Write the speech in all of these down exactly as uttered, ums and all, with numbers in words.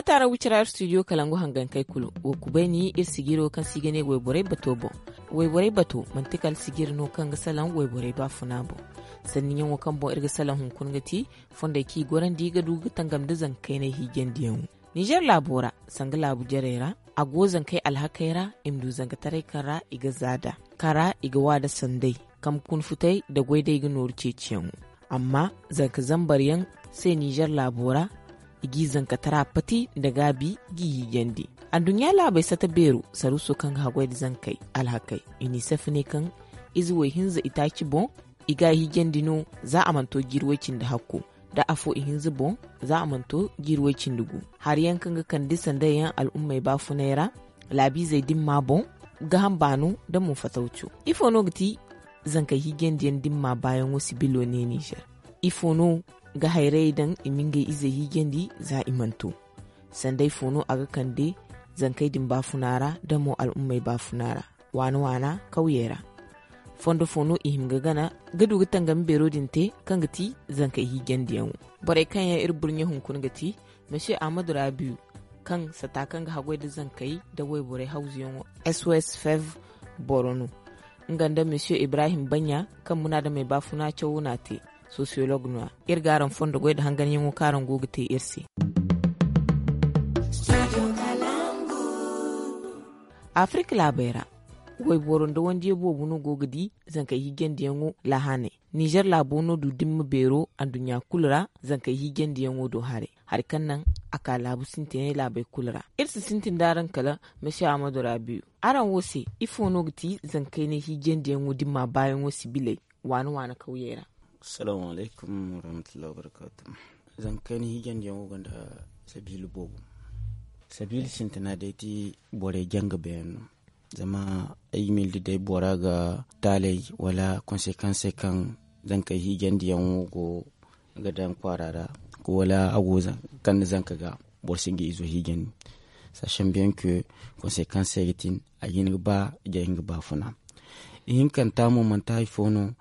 taara wicira iri studio kalangu hangankey kulu wo kubay ni iri sijiro kaŋ se i ga ne wayborey bato boŋ. Wayborey bato manti kala sijiri no kaŋ ga salaŋ wayborey baafuna boŋ. Sanni ɲaŋo kaŋ boŋ iri ga salaŋ hunkuna ga ti fondey kaŋ i gorandi ga du ga tangam nda zanka kaynay hiijandiyaŋo. Nizer laabo ra sanga laabu jarey ra, a go zankey alhakey ra i ma du zankataray kaŋ ra i ga za nd'a, kaŋ ra i ga wa nda sanday, kambe kuna futay nda goy day ga nooru ceeciyaŋo. Amma zanka zambar yaŋ se nizer laabo ra, i g'i zankatara pati nda gaabi g'i hiijandi. Adduɲɲa laabey sata beero saruuso kaŋ ga haggoy nda zankey alhakey, i n'i safa ne kaŋ ize way hinza itaaci boŋ i ga a hiijandi no za a mana to jiiri way cindi hakko, nda afo ihinza boŋ za a mana to jiiri way cindi gu. Hari yaŋ kaŋ ga kande sanday yaŋ al'ummey baafunay ra laabiizey dimma boŋ, gaaham baano nda mo fatawco. Ifo no ga ti zankey hiijandiyaŋ dimma baayaŋo sibilo ne nizer? Ifo no ga hayrayey daŋ i ma ngey izey hiijandi za i mana to? Sanday fo no a ga kande zankey din baafuna ra nda mo al'ummey baafuna ra waana waana kawyey ra? Fondo fo no i hima ga gana ga du ga tangami beero din te kaŋ ga ti zankey hiijandiyaŋo? Borey kaŋ yaŋ iri burɲe hunkuna ga ti mesiye ahmadu rabiyu, kaŋ sata kaŋ ga haggoy nda zankey nda wayborey hawzuyaŋo, sos fev boro no, nga nda mesiye ibrahim baɲɲa, kaŋ munaadamey baafuna cawo no a te, sosiyolog no- ya. Iri ga araŋ fondo goy nda hanganyaŋo kaŋ araŋ go ga te iri se. Afirka laabey ra, wayboro nda wandiyo boobo no go ga di zankey hiijandiyaŋo lahaney. Nizer laabo no du dimma beero adduɲɲa kulu ra zankey hiijandiyaŋo do haray, hari kaŋ naŋ a ka laabu sintinay laabey kulu ra. Iri si sintin d'araŋ kala mesiye ahmadu rabiyu, araŋ wo se ifo no ga ti zankey ne hiijandiyaŋo dimma baayaŋo sibiley waana waana kawyey ra? Assalamu alaykum warahmatullahi wabarakatuh. Zankey ne hiijandiyaŋo gonda sabiila boobo. Sabiila sintina day ti borey janga beyaŋ no. Zama ay ga miila da day bora ga taaley wala konsekansey kaŋ zankey hiijandiyaŋo go ga daŋ kwaara ra, wala a go kande zanka ga, boro si nga izo hiijandi. Sachant bien que konsekansey ga tin a ga hin ga ba jay nga baafuna. Ihinkanta mo manti hari fo no.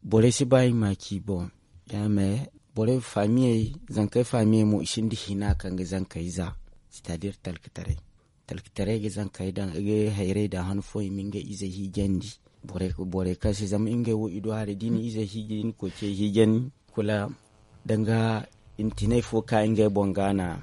Borey si ba i ma ci boŋ. Ya me borey faamiyey, zankey faamiyey mo i sinda hina kaŋ ga zankey za. C'est à dire talkataray talkataray ga zankey daŋ i ga hayrey daŋ han fooyaŋ i ma ngey izey hiijandi. Borey kaŋ se zama ngey wo i du haray da i na izey hiijay i na koy ce hiijay ni kula danga intinay fo ka ngey boŋ ga na.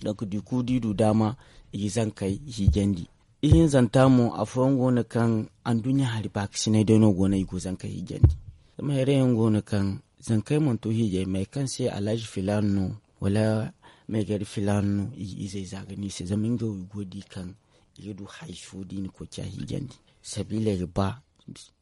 Donk da i kulu da i du daama i ga zankey hiijandi. Ihinzanta mo afooyaŋ go no kaŋ anduɲɲa hari baakasinay day no go no i go zankey hiijandi. Zama hayray yaŋ go no kaŋ zankey mana to hiijay me kaŋ se alhazi filaana no wala meegari filaana no i ga izey za ga no i se zama ngey wo i go ga di kaŋ i ga du hari fo da i na koy ciya hiijandi. Sabiiley ga ba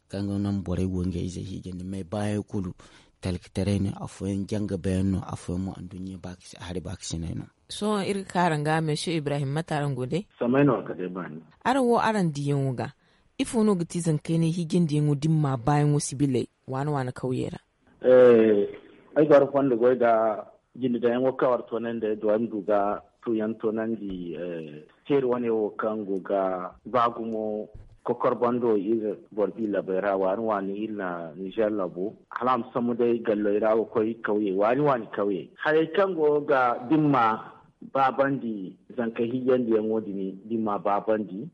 kaŋ ga naŋ borey go ngey izey hiijandi me baayaŋ kulu talkataray no afooyaŋ janga beyaŋ no afooyaŋ mo anduɲɲa hari baakasinay no. Sohõ iri ga ka araŋ ga mesiye ibrahim mate araŋ go day? Samay no a kate baani. Araŋ wo araŋ diyaŋo ga ifo no ga ti zankey ne hiijandiyaŋo da ni ma baayaŋo sibiley waana waana kawyey ra? Ay go ara fondo goy da jinde daŋyaŋo kaŋ war toonandi ay do ay ma du ga tuuyaŋ toonandi. Teeri wane wo kaŋ go ga ba gumo kokor bando iri boro bi labey ra waani waani iri na nizer labo hala a ma sambu day galley ra ga koy kawyey waani waani kawyey hayey kaŋ go ga dimma baabandi zanka hiijandiyaŋo din dimma baabandi.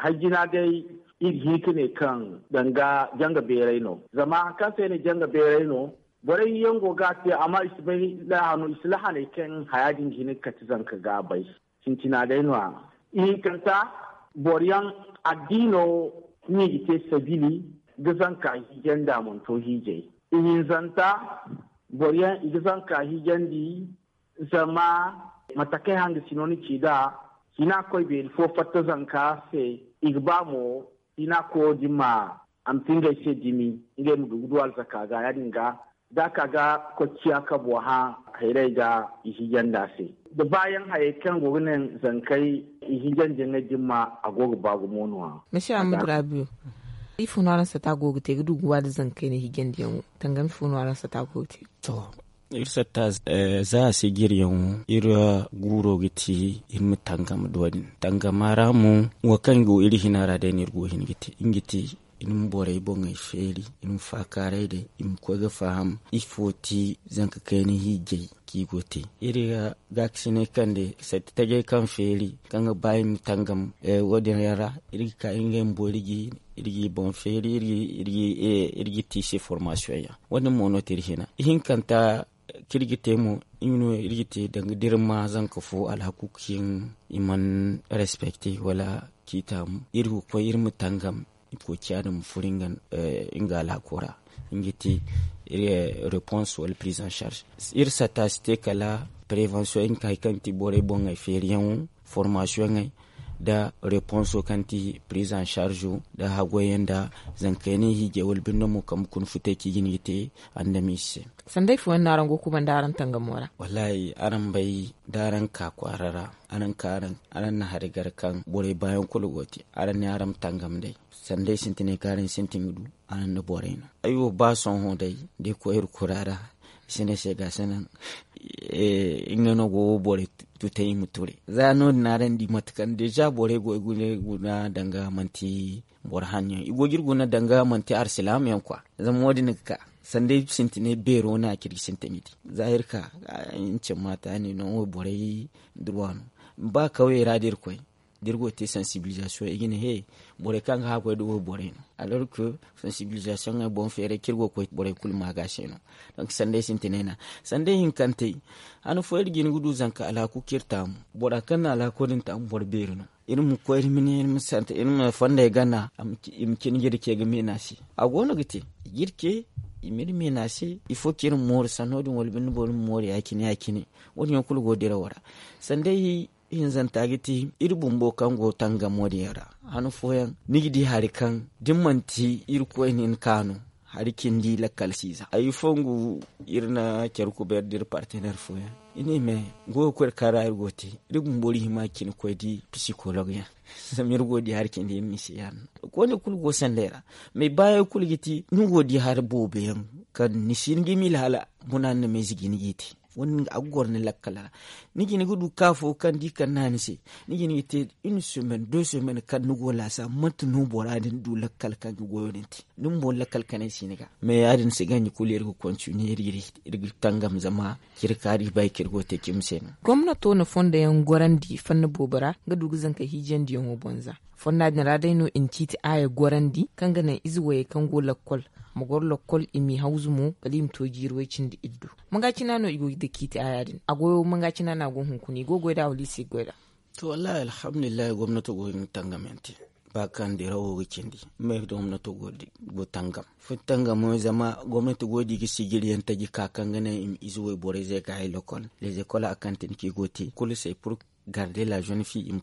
Hay jina day iri ga hin ka ne kaŋ danga janga beeray no zama hari kaŋ se ay ne janga beeray no borey yaŋ go ga a te amma i si bay lahano i si lahanay kaŋ haya din ga hin ga kate zanka ga a bay. Sintina day no- ya ihinkanta boro yaŋ addiino no i ga te sabili ga zanka hiijay nda a mana to hiijay. Ihinzanta boro yaŋ i ga zanka hiijandi zama mate kaŋ ay hanga sino ni ci nd'a hina ga koy beeri fo fatta zanka se. I ga ba mo hina ga koyo din ma a ma ti ngey se dimi ngey ma du ga du alzaka ga ya- din ga da a ka ga kocciya kabo hã hayray ga i hiijandi a se. Da baayaŋ hayey kaŋ go ga naŋ zankey i hiijandiyaŋey din ma a go ga ba gumo no- ya. Masiya ahmadu rabiyo, ifo no araŋ sata go ga te ga du ga waani zankey ne hiijandiyaŋo? Tangam ifo no araŋ sata go ga te? To, iri satta za a si jiryaŋo iri guuro ga ti iri ma tangam do- din tangama ra mo wo kaŋ go iri hina ra day no iri go hin ga te nga ti iri ma borey boŋey feeri, iri ma faakaaray day, iri ma koy ga faham ifo ti zanka kayna hiijay kaŋ i go te. Iri ga gaakasinay kande sati tajay kaŋ feeri kaŋ ga ba iri ma tangam. Wo- din yaŋ ra iri ga ka iri ngey ma boori ga iri g'i boŋ feeri iri g'i te i se formasiyoŋ yaŋ. Wo- din mo no te iri hina ihinkanta kaŋ iri ga te mo, iri ga te danga da iri ma zanka fo alhaku kaŋ i mana respekte wala kaŋ i taamu iri ga koy iri ma tangam. I go ciya din ma furo nga alhako ra. Nga ti repons wala prise en charge. Iri sata si te kala prevention nga hari kaŋ ti borey boŋey feeriyaŋo, formasiyoŋey, da reponso kaŋ ti prise en charge da hagoyaŋ da zankaynay hiijay wala binde mo kambe kuna futay kaŋ i ga ni ga te andamize se. Sanday fooyaŋ no araŋ go ga kubanda araŋ tangamo ra? Wallaahi araŋ bay da araŋ ka kwaara ra, araŋ na hari gar kaŋ borey baayaŋ kulu go te. Araŋ ne araŋ ma tangam day sanday sintinay kaŋ araŋ sintin ga du. Araŋ nda borey no ay wo ba sohõ day da ay koy iri kura ra. I si ne se ga si naŋ nga no go wo borey tutay i ma ture. Za no- din araŋ di mate kaŋ deja borey go ay guna danga manti boro hanno yaŋ i go ga iri guna danga manti arsilaama yaŋ kwa. Zama wo- din ga ka sanday sintinay beero no a ciri ga sintin ga di. Za iri ka ncin maata ne no wo borey durwa no. Ba kawyey ra da iri koy da iri go ga te sansibilizasiyoŋ i ga ne he borey kaŋ ga haakoy da wo borey no. Alorke sansibilizasiyoŋey boŋ feeray kaŋ iri go ga koy borey kulu ma ga se no. Donk sanday sintinay no. Sanday hinkantey han fooyaŋ iri ga hin ga du zanka alhaku kaŋ iri taamu. Bora kaŋ na alhako din taamu boro beeri no. Iri ma koy iri ma ne iri ma sante iri ma fondey gana i ma cine jirce ga meena se. A go no ga te jirce i ma iri meena se. Ifo kaŋ iri ma mooru sanno din wala binde boro ma mooru ya- cine ya- cine. Wo- din yaŋ kulu go dirawo ra. Sanday hinzanta ga ti iri bumbo kaŋ go tangamo din yaŋ ra. Han fooyaŋ ni ga di hari kaŋ da ni manti iri koyne ni ka no. Hari cindi lakkal si za ay fongu iri na care kubeer da iri partener fooyaŋ i ne me goyo koy kaŋ ra iri go ga te. Iri bumbo iri hima cine koy di pisikolog yaŋ. Zama iri go ga di hari cindi iri misi yaŋ no koyne kulu go sanday ra. Mais baayaŋ kulu ga ti ni go ga di hari boobo yaŋ kaŋ ni si hin ga i miila hala buna ni na me zigi ni g'i te. Wo- din a ga goro ni lakkal ra. Ni ga hin ga du ka fo kaŋ da i kande a ni se ni ga hin ga te une semaine deux semaines kaŋ ni go ga laasa mate no bora din du lakkal kaŋ ga goyo din te. Ni bumbo ni lakkal kanay si ni ga. Mais ya- din si ganji kulu iri ga kontiniye iri ga tangam zama ciri kaŋ iri bay kaŋ iri go ga te cimi se no. Gomnato na fondo yaŋ gorandi fanna boobo ra ga du ga zanka hiijandiyaŋo boŋ za. Fonda din ra day no i na ciiti aaya gorandi kaŋ ga naŋ ize wayey kaŋ go lakkol ma goro lakkol i m'i hawzu mo kala i ma to jiiri way- cindi iddu. Manga cina no i go ga dake i te haya din a goyo manga cina no a go hunkuna i go ga goy nd'a wala i si ga goy nd'a? To wallaahi alhamdulillahi gomnato go ga nga tangam yaŋ te. Ba kaŋ dirawo ga cindi, gomnato go ga tangam fo tangamo zama gomnato go ga di ga sijiri yaŋ taji ka kaŋ ga naŋ i ma ize wayborey zey ga hay lokol. Lezekol a kaŋ tin kaŋ i go ga te kulu se pur garde la zone fi i ma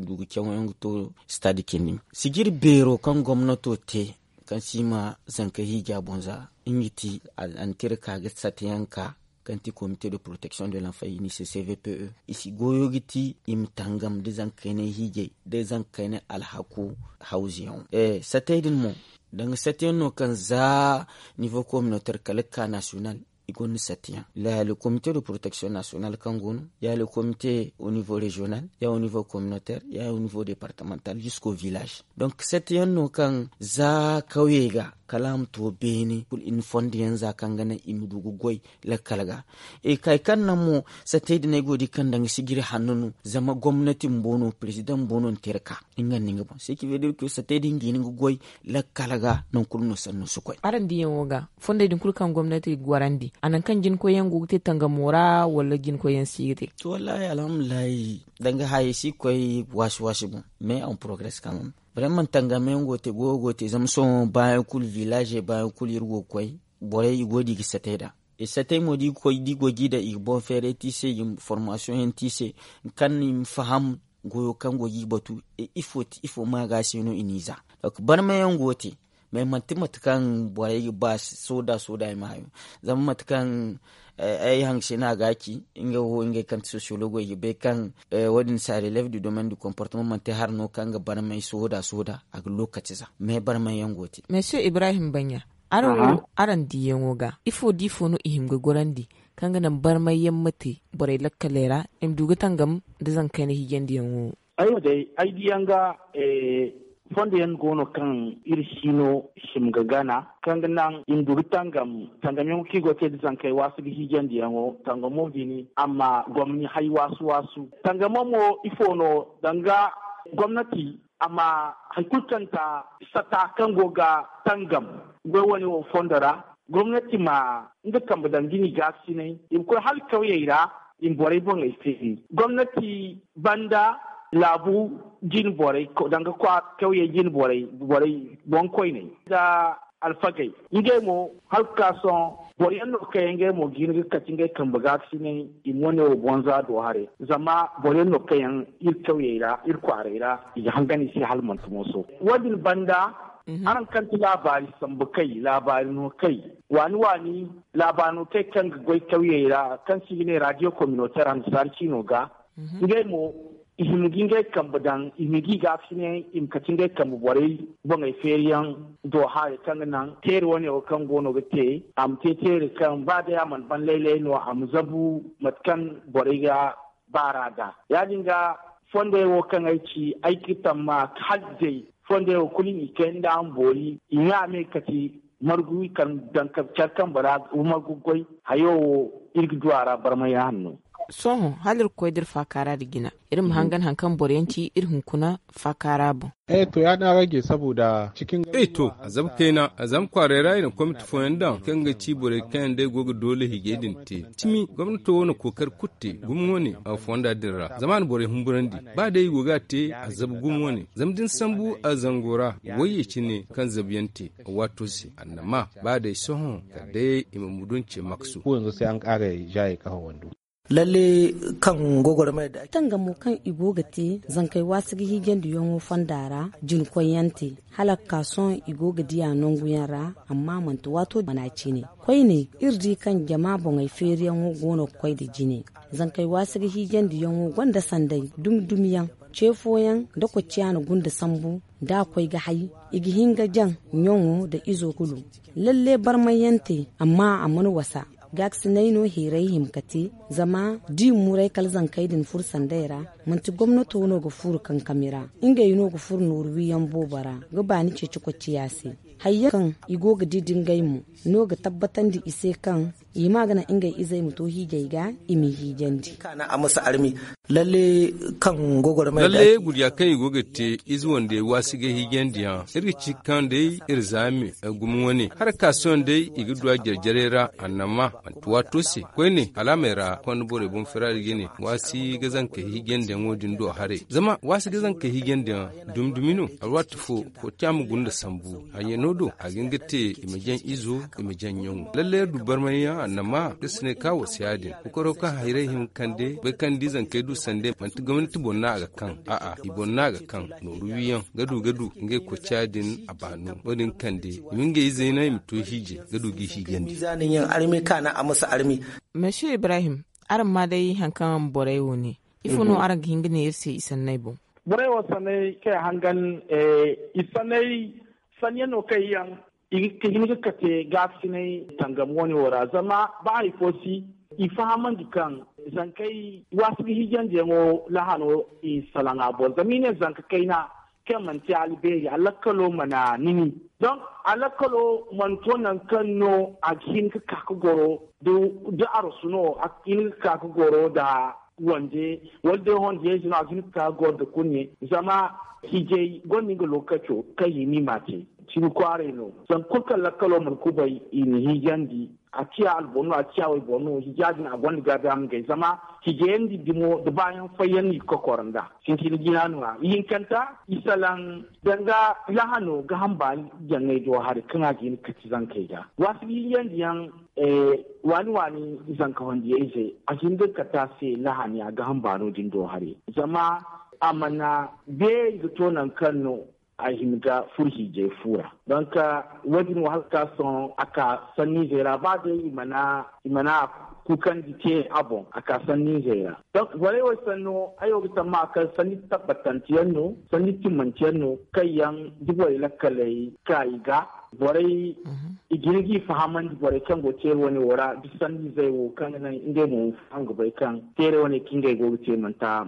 du ga cawo yaŋ ga to stade cindi. Sijiri beero kaŋ gomnato te kaŋ si ma zanka hiija boŋ za nga ti a na tira ka ga sate yaŋ ka kaŋ ti comité de protection de l'enfant ini se cvpe i si goyo ga ti i ma tangam da zankaynay hiijay da zankaynay alhaku hawzu yaŋo. Satey din mo danga sate yaŋ no kaŋ za niveau communautaire kala ga ka national i gonda sate yaŋ. Ya le comité de protection national kaŋ go no ya le comité au niveau régional ya au niveau communautaire ya au niveau départemental jusqu'au village. Donc sate yaŋ no kaŋ za kawyey ga kala a ma to beene kulu i na fondo yaŋ za kaŋ ga naŋ i ma du ga goy lakkal ga. Kay kaŋ naŋ mo satey din ay go ga di kaŋ danga sijiri hanno no zama gomnati bumbo no président bumbo no na te iri ka nga nda nga boŋ se ci veut dire que satey din ga hin ga goy lakkal ga nangu kulu no sanno si koy. Araŋ diyaŋo ga fondey din kulu kaŋ gomnati ga gorandi a nangu kaŋ jinkoy yaŋ go ga te tangamo ra wala jinkoy yaŋ si ga te? To wallaahi alhamdulillahi danga hayey si ga koy waasi waasi boŋ mais en progrès quand même. Vraiment tangamo yaŋ go ga te goyo go ga te zama sohõ baayaŋ kulu village baayaŋ kulu iri go ga koy borey i go ga di ga satey nd'a. Satey mo da i ga koy da i go ga i daŋ i ga boŋ feeray te i se i ga formasiyoŋ yaŋ te i se kaŋ i ma faham goyo kaŋ go ga i batu ifo ma ga se no i n'i za. Donc barmay yaŋ go ga te mais manti mate kaŋ borey ga ba sooda sooda i ma hayo. Zama mate kaŋ ay hanse no a ga a ci nga wo ngey kaŋ ti sociologo i ga bay kaŋ wo- din ça relève du domaine du comportement manti hari no kaŋ ga barmay sooda sooda a ga lokaci za mais barmay yaŋ go ga te. Monsieur Ibrahim Banya, araŋ wo araŋ diyaŋo ga ifo da ifo no i hima ga gorandi kaŋ ga naŋ barmay yaŋ ma te borey lakkaley ra i ma du ga tangam nda zanka kayna hiijandiyaŋo? Ay wo day ay diyaŋ ga Fondo yaŋ go no kaŋ iri si no hima ga gana, kaŋ ga naŋ i ma du ga tangam. Tangamyaŋo kaŋ i go ga te nda zankey waasu ga hiijandiyaŋo, tangamo din a ma gomni hay waasu-waasu. Tangamo mo ifo no? Danga gomnati a ma hari kulu kaŋ ta sata kaŋ go ga tangam goy wane wo fondo ra. Gomnati ma nga kambe daŋ da ni gaasinay, i ma koy hala kawyey ra, i ma borey boŋey feeri. Gomnati banda laabu jine borey danga kawyey jine borey, borey boŋkoyney nda alfagey. Ngey mo hala ga ka sohõ boro yaŋ no kaŋ yaŋ ngey mo ga hin ga kati ngey kambe gaasinay, i ma wane wo bonza do haray. Zama boro yaŋ no kaŋ yaŋ iri kawyey ra, iri kwaarey ra, i ga hangan i se hala manti mooso. Wo- din banda, araŋ kaŋ ti laabaari sambu kay, laabaari no kay, waani-waani laabaari no kay kaŋ ga goy kawyey ra, kaŋ se i ga ne radio communautaire annasaara ciino ga. Ngey mo, i hima ga ngey kambe daŋ, i hima ga i gaasinay, i ma kati ngey kambe borey boŋey feeriyaŋ do haray, kaŋ ga naŋ teeri wane wo kaŋ go no ga te, a ma te teeri kaŋ ba day a mana ban laylay no, a ma zabu mate kaŋ borey ga baar'a ga. Ya-din ga, fondey wo kaŋ ay ci, ay ga tamma hala day fondey wo kulu i kay nda a ma boori, i ŋwa me kati margu i kaŋ daŋ care kambe ra, margu goy. Hayo wo, iri ga du a ra barmay hanno. Sohõ hala iri ga koy da iri faakaara nda jina, iri ma hangan hari kaŋ boro yaŋ ci iri hunkuna faakaara boŋ. Eh to, ya- din a ga ge saboda cikin eh to, a zama kayna, a zama kwaaray ra i na komiti fooyaŋ daŋ kaŋ ga ci borey kaŋ yaŋ day go ga doole hiijay din te. Cimi gomnato wo na kookari kulu te gumo wane a fonda din ra, zama a na borey humburandi. Ba day i go ga a te, a zabu gumo wane, zama da ni sambu a zango ra, wayye cine kaŋ zabuyaŋ te a waato se, annama ba day sohõ kala day i ma mudu nce maksu. Ko yanzu sai an kara jaye kafa wando. Lalle kaŋ gogormay da tangamo kaŋ i go ga te zankey waasi ga hiijandiyaŋo fonda ra, jina koyyaŋ te hala ga ka sohõ i go ga diya nanguyaŋ ra. Amma manti waato mana cine koyne, iri di kaŋ jama boŋey feeriyaŋo go no ga koy nda jine. Zankey waasi ga hiijandiyaŋo gonda sanday dumi-dumiyaŋ, ce fooyaŋ nda kocciyaana gunda sambu, da a koy ga hay, i ga hin ga jaŋ ɲaŋo nda izo kulu. Lalle barmayyaŋ te, amma a mana wasa. Gaasinay no heeray hima ga te, zama da i muray kala zankey din furo sanday ra, manti gomnato no ga furo kankami ra. Ngey no ga furo nooru wiyaŋ boobo ra ga baani ceeci kocciya se. Hayyaŋ kaŋ i go ga di da ngey mo no ga tabbatandi i se kaŋ i ma ga naŋ ngey izey ma to hiijay ga, i m'i hiijandi. Lalle kaŋ gogormay da lalle gurya kaŋ i go ga te ize wande waasi ga hiijandiyaŋ, iri ga ci kaŋ day iri zaami gumo wane harakaasiyoŋ day i ga du a jare-jarey ra. Annama manti waato se koyne alaamey ra konda borey boŋ firaari ga ne waasi ga zanka hiijandiyaŋo din do haray. Zama waasi ga zanka hiijandiyaŋ dumi-dumi no. Alwaati fo koociya ma gunda sambu hayyaŋo do a ga hin ga te i ma jaŋ izo, i ma jaŋ ɲaŋo. Lalle iri du barmayyaŋ annama iri si ne ka wasa yaadin kokoro kaŋ hayray hima ga kande bay kaŋ da i zankey du sande manti gomnati boŋ no a ga kaŋ. A'a, i boŋ no a ga kaŋ. Nooru wiyaŋ ga du ga du ngey koociya din a baano wo- din kande i ma ngey izey no i ma to hiijay ga du g'i hiijandi. Mizaaniyaŋ armi kaana a ma si armi. Monsieur Ibrahim, araŋ ma day hari kaŋ borey wo ne, ifo no araŋ ga hin ga ne iri se i sanney boŋ? Borey wo sanney kaŋ i hangan, i sanney sanyaŋ no kaŋ yaŋ i ga hin ga kate gaasinay tangam wane wo ra. Zama ba hari fo si i fahamandi kaŋ zankey waasi ga hiijandiyaŋo lahano i salaŋ a boŋ zama i ne zanka kayna kaŋ manti albeeri alakkalo mana nini. Donk alakkalo mana to nangu kaŋ no a ga hin ga ka ga goro da arasu no a ga hin ga ka ga goro nda wande wala day hondiyaŋ ize no a ga hin ga ka ga goro nda kurɲe. Zama hiijay gonda nga lookaco kaŋ i ma i ma te. Cimi kwaaray no zangu kulu kaŋ lakkalo mana kubay i na hiijandi. A ciya alboro no a ciya wayboro no hiija din a gonda gaabi a ma gay zama hiijay yaŋ din dimo da baayaŋ fayyaŋ no i ga kokoro nda. Sintin jina no- ya ihinkanta i salaŋ danga lahano ga hamba jaŋey do hari kaŋ a ga hin ga kati zankey ga waasi ga hiijandiyaŋ. Waani waani zanka hondiya ize a ga hin ga kati a se lahani a ga hamba no- din do hari zama a mana beeri ga to nangu kaŋ no a hima ga furo hiijay fu ra. Donk wo- din wo hala ga ka sohõ a ka sanniizey ra ba day i mana i mana kuukandi te a boŋ a ka sanniizey ra. Donk borey wo sanno ay wo ga tamma kaŋ sanni tabbatanteyaŋ no sanni timmanteyaŋ no kaŋ yaŋ da borey lakkaley ka i ga. Borey i ga hin g'i fahamandi borey kaŋ go teere wane wo ra da sanniizey wo kaŋ ga naŋ ngey mo ma faham ga bay kaŋ teere wane kaŋ ngey go ga te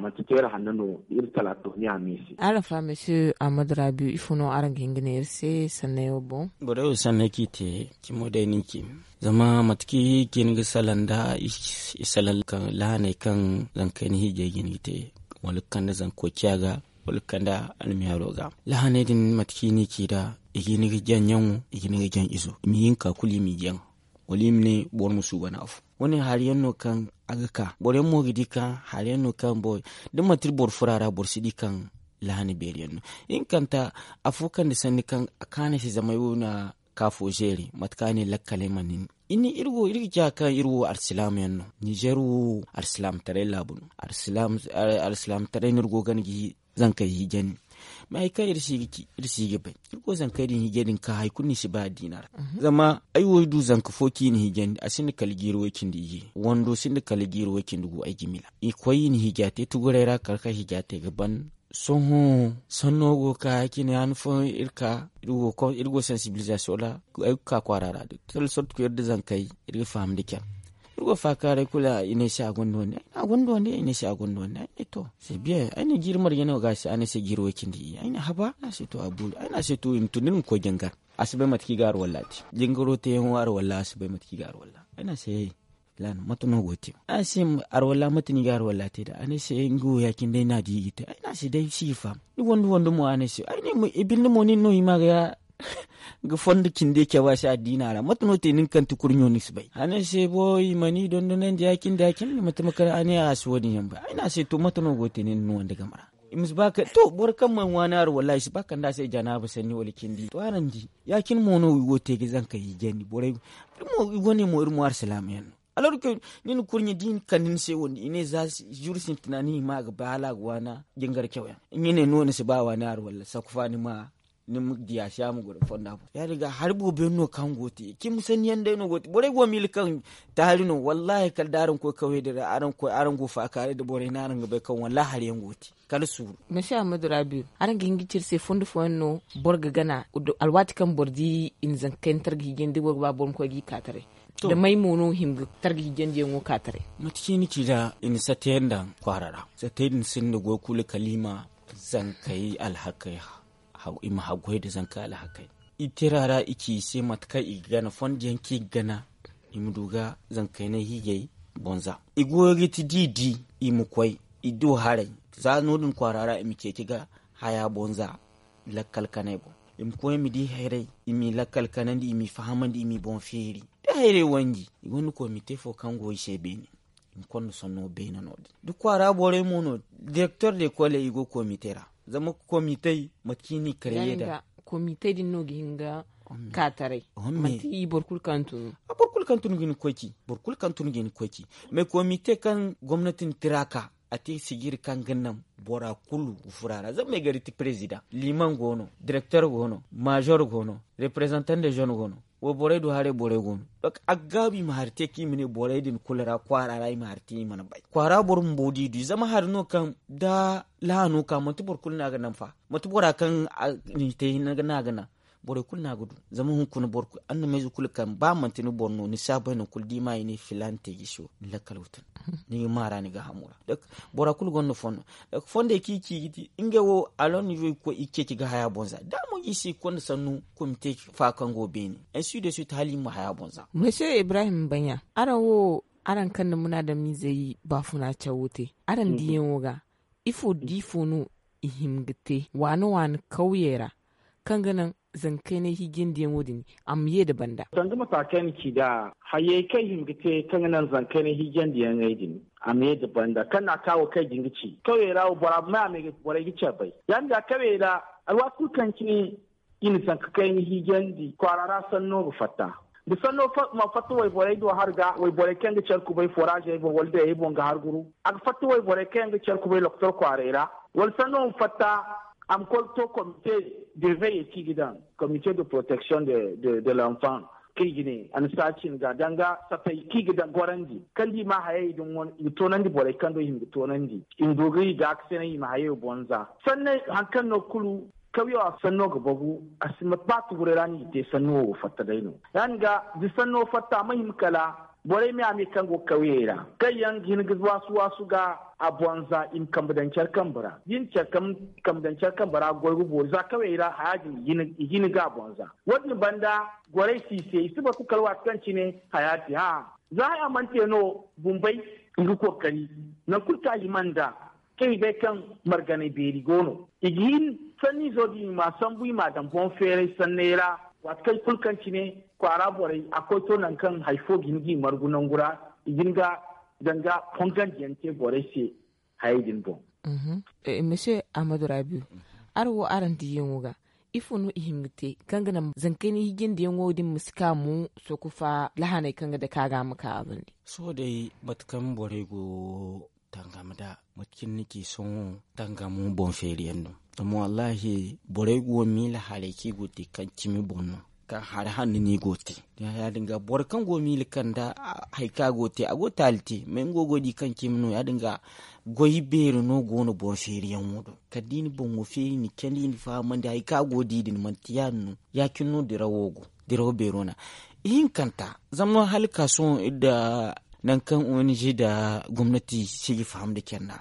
manti teere hanno no. Iri talaatoniya me se. Araŋ fa mesi ahmad rabiu ifo no araŋ ga hin ga ne iri se sanney wo boŋ? Borey wo sanney kaŋ i te cimo day no i ce. Zama mate kaŋ i ga hin ga salaŋ nda i salaŋ lahaney kaŋ zankey na hiijay ga hin ga te, wala ga kande zanko ciya ga, wala ga kande almiyaaro ga. Lahaney din mate kaŋ i n'i ci nd'a, i ga hin ga jaŋ ɲaŋo, i ga hin ga jaŋ izo, i ma hin ga ka kulu i m'i jaŋ, wala i ma ne boro ma suuban afo. Wo- ne hari yaŋ no kaŋ a ga ka boro yaŋ mo ga di kaŋ hari yaŋ no kaŋ boro da manti boro furo a ra boro si di kaŋ lahana beeri yaŋ no. Ihinkanta, afo kande sanni kaŋ a kaanu se zama ay wo na ka fo zeeri mate kaŋ a ne lakkaley mana hin. Iri ga ciya kaŋ iri wo alsilaama yaŋ no. Nizer wo alsilaamataray laabu no. Alsilaamataray no iri go ga hin ga zankey hiijandi. Mais hari kaŋ iri si ga bay, iri go zankey din hiijay din ka hari kulu no i si bay addiina ra. Zama ay wo ay du zanka fo kaŋ i na hiijandi a sinda kala jiiri way-cindi iyye, wando sinda kala jiiri way-cindi gu ay jimila. I koy i na hiija te tuguray ra kala kaŋ hiija te ga ban. Sohõ sanno go ga ka ya- cine han fooyaŋ iri ka iri go sansibilizasiyoŋ ra, ay ga ka kwaara ra da telle sorte kaŋ iri da zankey iri ga faham nda care. Iri go faakaaray kulu i ne ay se a gonda wande, ay ne a gonda wande, ay ne ay se a gonda wande, ay ne to, c'est bien. Ay ne jiiri marje no ga a se? A ne ay se jiiri way-cindi iyye. Ay ne haba, ay ne a se to a boori, ay ne a se to i ma tun da ni ma koy jangar. A si bay mate kaŋ i ga arwalla te jangaro teeyaŋo arwalla a si bay mate kaŋ i ga arwalla. Ay ne a se hey, filaana mate no go ga te? Ay ne a se arwalla mate no i ga arwalla te nd'a? A ne ay se nga wo ya- cine day no a di i ga te. Ay ne a se day si ga faham. Ni wande wande mo a ne ay se ay ne mo i binde mo nin no i ma ga fondo cinde cabe a se addiina ra mate no te nin kaŋ ti kurɲo ni si bay? A ne ay se bo i mana i dondonandi ya- cine da ya- cine ni ma tama kala a ne a si wo- din yaŋ bay. Ay ne a se to mate no go ga te nin ni wande game ra? I ma si ba kaŋ to boro kaŋ mana waani arwalla i si ba kaŋ da a se janaaba sanni wala cindi to araŋ di. Ya- cine mo no i go ga te ga zankey hiijandi borey. I wane mo iri mo alsilaama yaŋ no. Alors que ni na kurɲe da i na kande ni se wande i ne za zuru sintina ni hima a ga bay hala a ga waana jingar cawyaŋ. Ɲine no ni si ba waani hari walla sakufa ni ma, ni ma diya se a ma goro fonda boŋ ya- din ga hari boobo yaŋ no kaŋ go ga te cimi sanni yaŋ day no go ga te borey go ga miila kaŋ taari no wallahi kala da araŋ koy kawyey din ra araŋ go ga faakaaray nda borey no araŋ ga bay kaŋ wallahi hari yaŋ go ga te. Kala suuru. Masi ahmadu rabiu, araŋ ga hin ga ci iri se fondo fooyaŋ no boro ga gana alwaati kaŋ boro di i na zanka kayna targa hiijandi da boro ga ba boro ma koy ga i ka taray? Da may mo no hima ga targa hiijandiyaŋo ka taray? Mate kaŋ i na ci nd'a i na sateyaŋ daŋ kwaara ra. Satey din sinda goy kulu kala i ma zankey alhakey i ma haggoy nda zankey alhakey. I tira ra i ci i se mate kaŋ i ga gana fondo yaŋ kaŋ i ga gana i ma du ga zankaynay hiijay. Bonza i goyo ga ti da i di i ma koy i du haray. Za no- din kwaara ra i ma ceeci ga haya bonza lakkal kanay boŋ. I ma koy i ma di hayray i m'i lakkal kanandi i m'i fahamandi i m'i boŋ feeri. Da hayray wanji i gonda komite fo kaŋ go i se beene. I ma konda sonno beene no- din da kwaara borey mo no direktor de kole i go komite ra. Zama komitey mate kaŋ i n'i karye nd'a. Komitey din no ga hin ga ka taray. Manti boro kulu kaŋ tun ga hin ga koy ci boro kulu kaŋ tun ga hin ga koy ci. Mais komite kaŋ gomnati na tira ka a te sijiri kaŋ ga naŋ bora kulu ga furo a ra zama me gari ti president liman go no, direktor go no, major go no, representant de jeune go no. Wayborey do haray borey go no. Donc a ga gaabu i ma hari te kaŋ i ma ne borey din kulu ra kwaara ra i ma hari te i mana bay kwaara boro bumbo da i du i zama hari no kaŋ da lahaano ka manti boro kulu no a ga naŋ fa. Manti bora kaŋ ni te hinne no a ga naŋ. Borey kulu no a ga du zama hunkuna boro kulu annamayze kulu kaŋ ba manti ni boro no ni si a bay nangu kulu da i ma i ne filaana te jiso ni lakkal ga tun. Ni ga maara ni ga hamu ra. Bora kulu gonda fondo. Fondey kaŋ i ci ga ti ngey wo alon ni go ga koy i ceeci ga haya boŋ za da a mo ga i se i konda sannu komite fa kaŋ go beene. Ainsi de suite hala i ma haya boŋ za. Monsieur ibrahim banya, araŋ wo araŋ kaŋ na munaadamizey baafuna cawo te araŋ diyaŋo ga, ifo da ifo no i hima ga te waana waana kawyey ra kaŋ ga naŋ zankaynay hiijandiyaŋo din a ma ye nda banda? Danga mata kaŋ ay na ci nd'a hayey kaŋ i hima ga te kaŋ ga naŋ zankaynay hiijandiyaŋey din a ma ye nda banda kaŋ no a ka wo kaŋ ay ga hin ga ci kawyey ra wo bora ma may a ma ye ga borey ga care bay. Ya- din ga kawyey ra alwaati kulu kaŋ cine i na zanka kayna hiijandi kwaara ra sanno ga fatta. Da sanno ma fatta wayborey do hari ga wayborey kaŋ ga care kubay foraazey boŋ wala dayey boŋ ga hari guru. A ga fatta wayborey kaŋ yaŋ ga care kubay lokotor kwaaray ra wala sanno ma fatta a ma koy ga to komite de veye kaŋ i ga daŋ komite de protection de l'enfant kaŋ i ga ne a na saaci ni ga danga sapey kaŋ i ga daŋ gorandi kaŋ da i ma hayey din wane i ga toonandi borey kaŋ do i hima ga toonandi i ma du ga i gaakasinay i ma hayey boŋ za. Sanne hari kaŋ no kulu Kawya sanno ga bagu. A si mate ba tuguray ra no i ga te sanno wo fatta day no. Ya- din ga da sanno fatta a ma hima kala borey me a me kaŋ go ga kawyey ra kaŋ yaŋ ga hin ga waasu waasu ga a bonza i ma kambe daŋ care kambe ra da i na care kambe daŋ care kambe ra goy ga boori za kawyey ra haya din i ga hin ga a bonza. Wo- din banda gorey si i se i si batu kala waati kaŋ cine haya te hã. Za haya mana te no bumbey i ga kookari nangu kulu kaŋ a hima nd'a kaŋ i bay kaŋ marganay beeri go no i ga hin sanniizo din i m'a sambu i m'a daŋ boŋ feeray sanney ra. Waati kaŋ kulu kaŋ cine kwaara borey a koy to nangu kaŋ hari fo ga hin ga i margu nangu ra i ga hin ga danga fongandiyaŋ te borey se. Hayey din boŋ. Misiye ahmadu rabiu, araŋ wo araŋ diiyaŋo ga ifo no i hima ga te kaŋ ga naŋ zankayni hiijandiyaŋo din ma si ka mo sokufa lahaney kaŋ ga dake a ga a ma ka a bande? Sohõ day mate kaŋ borey go tangam nd'a mate cine ni ci sohõ tangamo boŋ feeriyaŋ no. Zama wallaahi borey go miila haray kaŋ i go ga te kaŋ cimi boŋ no kaŋ hari hanno no i go ga te. Ya- din ga boro kaŋ go ga miila kanda hari kaŋ a go ga te a go ga taali te mais nga wo go ga di kaŋ cimi no ya- din ga goy beeri no go no boŋ feeriyaŋo do kala da i na boŋo feeri i na candi i na fahamandi hari kaŋ a go ga di din manti ya- din no. Ya- cine no dirawo go dirawo beero no. Ihinkanta zama hala ga ka sohõ iri nda nangu kaŋ ong nda gomnati si ga faham nda care nd'a.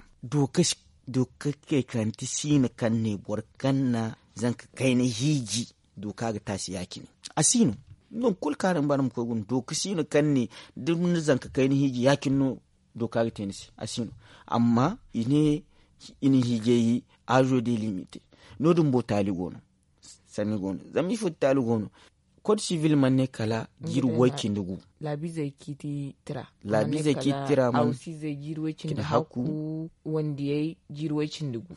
Dooka kay kaŋ ti siino kaŋ ne boro kaŋ na zanka kayna hiiji dooka ga te a se ya- cine. A si no nangu kulu kaŋ araŋ ga ba araŋ ma koy guna dooka siino kaŋ ne da ni na zanka kayna hiiji ya- cine no dooka ga te ni se a si no. Amma i ne i na hiijay aazo day limite. No- din bo taali go no. Sanni go no zama ifo ti taali go no. Kod sivil mana ne kala jiiri way- cindi gu. Laabiizey ciiti tira mana ne kala hawsiizey jiiri way- cindi hakku wandiyey jiiri way- cindi gu.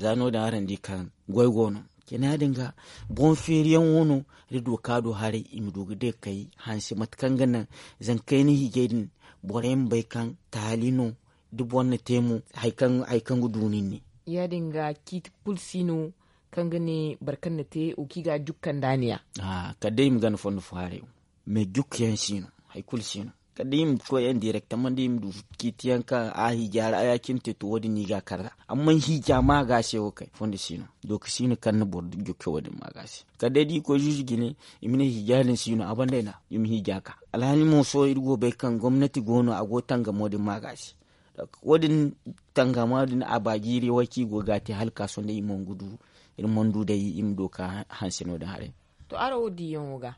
Za no- din araŋ di kaŋ goy go no. Cine ya- din ga boŋ feeriyaŋo no da dooka do haray i ma du ga day ga kay hanse mate kaŋ ga naŋ zankayna hiijay din borey ma bay kaŋ taali no. Da boro na te mo hari kaŋ ga du nin ne. Ya- din ga ciiti kulu si no kaŋ ga ne boro kaŋ na te wo kaŋ i ga a jukka nda a ne ya. Kala day i ma gana fondo fo haray wo mais jukka yaŋ si no. Hari kulu si no kala day i ma koy yaŋ direktaman da i ma du ciiti yaŋ kaŋ a hiija ra ya- cine te to wo- din no i ga a kar nd'a. Amma hiija ma ga se wo kay fondo si no. Dooka si no kaŋ na boro jukka wo- din ma ga se kala day da i koy zuuzu jine i ma ne hiija din si no a banda ay na i ma hiija ka. Alhaali mo sohõ iri go ga bay kaŋ gomnati go no a go ga tangamo din ma ga se. Wo- din tangama din a ba jiiri way kaŋ i go ga a te hala ga ka sohõ day i mana du iri mana du day i ma du ga ka hanse no- din haray. To araŋ wo diiyaŋo ga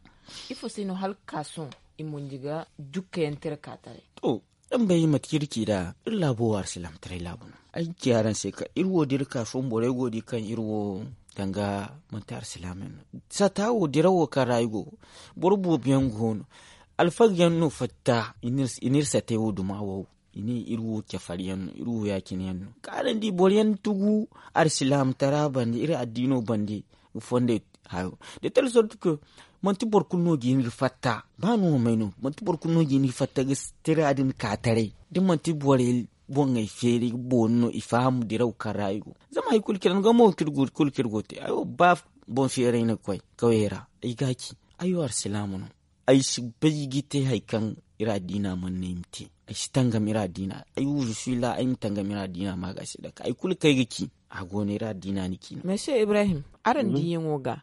ifo se no hala ga ka sohõ i monji ga jukka yaŋ tira ka taray? To araŋ bay mate kaŋ iri ci nd'a iri laabo wo alsilaamataray laabu no. Ay ga ci araŋ se kaŋ iri wo da iri ka sohõ borey go ga di kaŋ iri wo danga manti alsilaamey no. Sata wo dirawo kaŋ ra ay go boro boobo yaŋ go no. Alfaga yaŋ no fatta i na iri satey wo duma wo i ne iri wo cafari yaŋ no iri wo ya- cine yaŋ no kaŋ araŋ di boro yaŋ tugu alsilaamataray bande iri addiino bande ga fondey hayo. De telle sorte que manti boro kulu no ga hin ga fatta ba no wo may no manti boro kulu no ga hin ga fatta ga tira din ka taray da manti borey boŋey feeri ga boori no i faham diraw kaŋ ra i go. Zama hari kulu kaŋ iri go te ay wo ba boŋ feeray no ga koy kawyey ra ay ga a ci ay wo alsilaama no. Ay si bay ga te hari kaŋ iri addiina mana ne ay ma te. Ay si tangam iri addiina ay wo je suis là ay ma tangam iri addiina ma ga se dake hari kulu kaŋ ay ga ci a go no iri addiina ni ci no. Monsieur ibrahim, araŋ diiyaŋo ga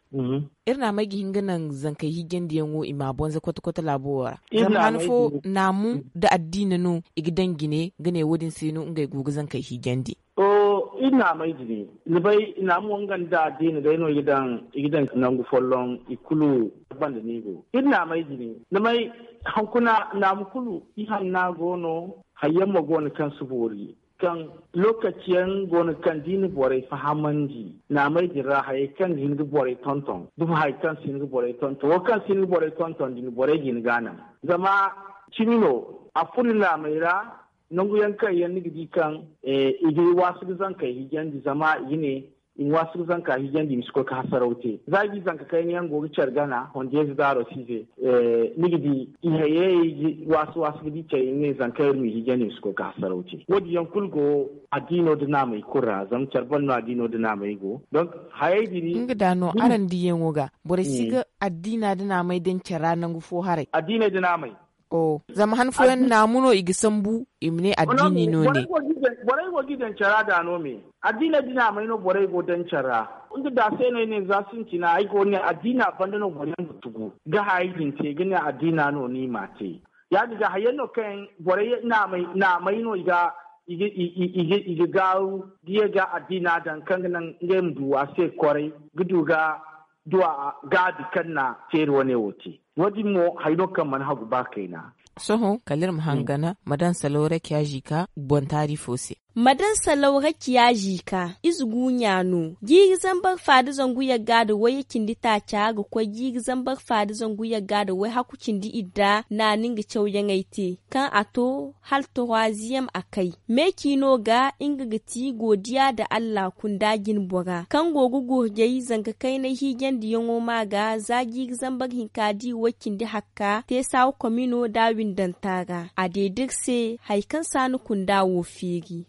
iri na may ga hin ga naŋ zankey hiijandiyaŋo i ma a bonza kote kote laabo wo ra? Zama han fo naamu nda addiina no i ga daŋ jine ga ne wo- din se no ngey go ga zankey hiijandi. Iri na may jine ni bay naamu wo nga nda addiina day no i ga daŋ nangu folloŋ i kulu banda no i go iri na may jine. Ni may hankuna naamu kulu ihanna go no. Hari yaŋ mo go no kaŋ si boori kaŋ lokaci yaŋ go no kaŋ da i na borey fahamandi naamey din ra hayey kaŋ ga hin ga borey tonton da mo hayey kaŋ si hin ga borey tonton wo kaŋ si hin ga borey tonton din borey ga hin ga a naŋ. Zama cimi no a furo naamey ra nangu yaŋ kaŋ yaŋ ni ga di kaŋ i ga waasu ga zankey hiijandi zama i ga ne i ma waasu ga zanka hiijandi i ma si koy ga hasaraw te za i ga i zanka kayna yaŋ go ga care gana hondiyeeze daaro se i se. Ni ga di i hayey ga waasu waasu ga di care i ma ne zanka iri ma i hiijandi i ma si koy ga hasaraw te wo- din yaŋ kulu go addiino nda naamey kulu ra zama care banda no addiino nda naamey go. Donk hayey din nga da no araŋ diiyaŋo ga borey si ga addiina nda naamey daŋ care ra nangu fo haray addiiney nda naamey. Zama han fooyaŋ naamu no i ga sambu i ma ne addiini no ne. Borey go ga i daŋ care ra da no me. Addiiney din a may no borey go daŋ care ra. Nga da se no ay ne za sintina ay go ne addiina banda no boro yaŋ ga tugu ga hayey din te ga ne addiina no no i m'a te. Ya- din ga hayey no kaŋ borey naamay no i ga gaaru ga ye ga addiina daŋ kaŋ ga naŋ ngey ma du a se kwaray ga du ga du a gaabi kaŋ na feeri wane wo te. Wo- din mo hari no kaŋ mana hagu ba kayna. Sohõ kala iri ma hangan ma daŋ salaw rakiya zika boŋ taari fo se. Ma daŋ salaw rakiya zika ize guunya no jiiri zambar fa nda zangu yagga nda wayye cindi taaca ga koy jiiri zambar fa nda zangu yagga nda wayhaku cindi idda naani nga cawyaŋey te kaŋ a to hala toroiziyem a kay. Meeci no ga nga ga ti godiya nda allah kunda jinbora kaŋ go ga gurjay zanka kaynay hiijandiyaŋo ma ga za jiiri zambar hinka di way cindi hakka te saawa komino nda windanta ra a deeda iri se hari kaŋ saani kunda wo feeri.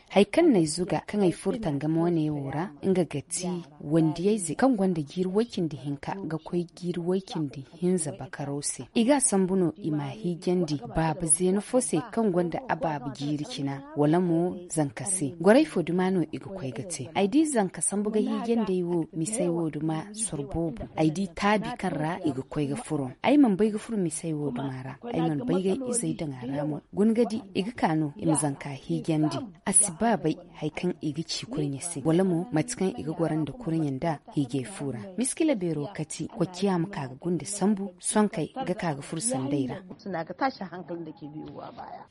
Hari kaŋ no ay zuga kaŋ ay furo tangam wane wo ra nga ga ti wandiyayze kaŋ gonda jiiri way cindi hinka ga koy jiiri way cindi hinza bakaro se i ga a sambu no i m'a hiijandi baaba zeena fo se kaŋ gonda a baaba jiiri cina wala mo zanka se gorey fo duma no i ga koy ga te ay di zanka sambu ga hiijandi ay wo misey wo duma soro boobo ay di taabi kaŋ ra i ga koy ga furo ay mana bay ga furo misey wo duma ra ay mana bay ga ay izey daŋ a ra mo guna ga di i ga ka no i ma zanka hiijandi a si ba bay hari kaŋ i ga ci kurɲe se wala mo mate kaŋ i ga goro nda kurɲe nda hiijay fu ra miskila beero kati kocciya ma ka ga gunda sambu sonkey ga ka ga furo sanday ra.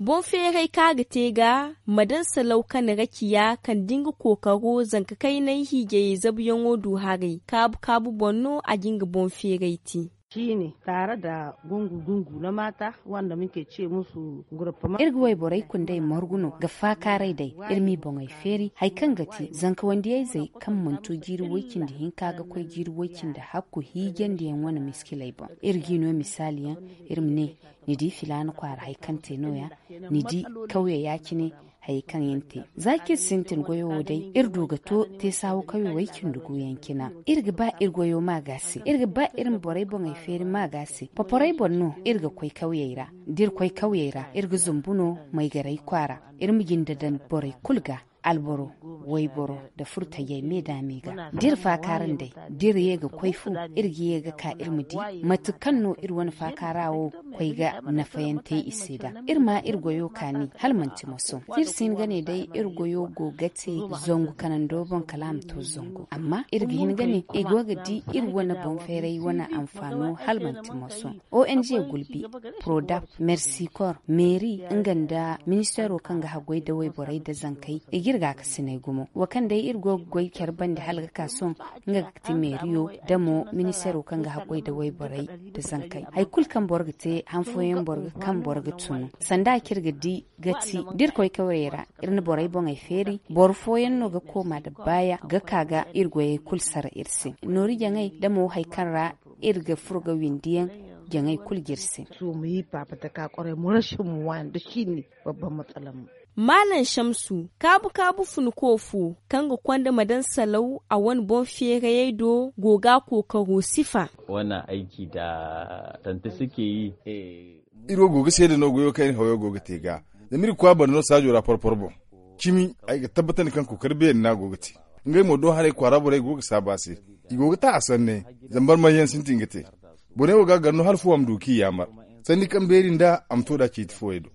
Boŋ feeray kaŋ a ga te ga ma daŋ salaw kane ra ciya kaŋ da nga kookaro zanka kaynay hiijayey zabuyaŋo du haray kaabu kaabu boŋ no a ga nga boŋ feeray te. Ciine taara da gungu gungu na maata wanda muke ce musu gurupama. Iri ga wayborey kundey margu no ga faakaaray day iri m'i boŋey feeri hari kaŋ ga ti zanka wandiyayzey kaŋ mana to jiiri woy-cindi hinka ga koy jiiri woy-cindi hakku hiijandiyaŋ wane miskiley boŋ iri g'i no misaaliyaŋ iri ma ne ni di filaana kwaara hari kaŋ te nooya ni di kawya ya-cine hayey kaŋ yaŋ te za kaŋ iri sintin goyo wo day iri du ga to teesaawo kawya way-cindi guuyaŋ cina iri ga ba iri goyo ma ga se iri ga ba iri ma borey boŋey feeri ma ga se poporey boŋ no iri ga koy kawyey ra da iri koy kawyey ra iri ga zumbu no maygarey kwaara iri ma jinde daŋ borey kulu ga alboro wayboro nda furtayey me da me ga da iri faakaaran day da iri ye ga koy fu iri ga ye ga ka iri ma di mate kaŋ no iri wane faakaara wo koy ga nafayaŋ te i se da iri ma iri goyo kaani hala manti moso da iri si hin ga ne day iri goyo go ga te zangu kanando boŋ kala a ma to zangu amma iri ga hin ga ne i go ga di iri wane boŋ feeray wane anfaano hala manti moso ong gulbi prodap mercicor meeri nga nda ministeero kaŋ ga haggoy da wayborey nda zankey i ga iri gaakasiney gumo wo kaŋ day iri go ga goy care bande hala ga ka sohõ nga ga ti meeriyo da mo ministeero kaŋ ga haggoy da wayborey nda zankey hari kulu kaŋ boro ga te han fooyaŋ boro ga kaŋ boro ga tunu sanda kaŋ iri ga di ga ti da iri koy kawyey ra iri na borey boŋey feeri boro fooyaŋ no ga kooma nda baaya ga ka ga iri goyey kulu sara iri se noori jaŋey da mo hari kaŋ ra iri ga furo ga windiyaŋ jaŋey kulu ga iri se. Maalam shamsu kaabu kaabu funiko fo kaŋ ga konda ma daŋ salaw a wane boŋ feerayey do go ga a kookaro sifa. Wane aiki da tante suke yi. Iri wo go ga seeda no goyo kaŋ iri hawayo go ga te ga zama iri ga koy a banda no saajo ra porpor boŋ cimi ay ga tabbatandi kaŋ kookari beeri no a go ga te ngey mo do haray kwaara borey go ga saabu a se i go ga ta a sanne zama barmay yaŋ sintin ga te borey wo ga a gar no hala fo a ma du kaŋ i yaamar sanni kaŋ beeri nda a ma to nd'a ciiti fooyey do.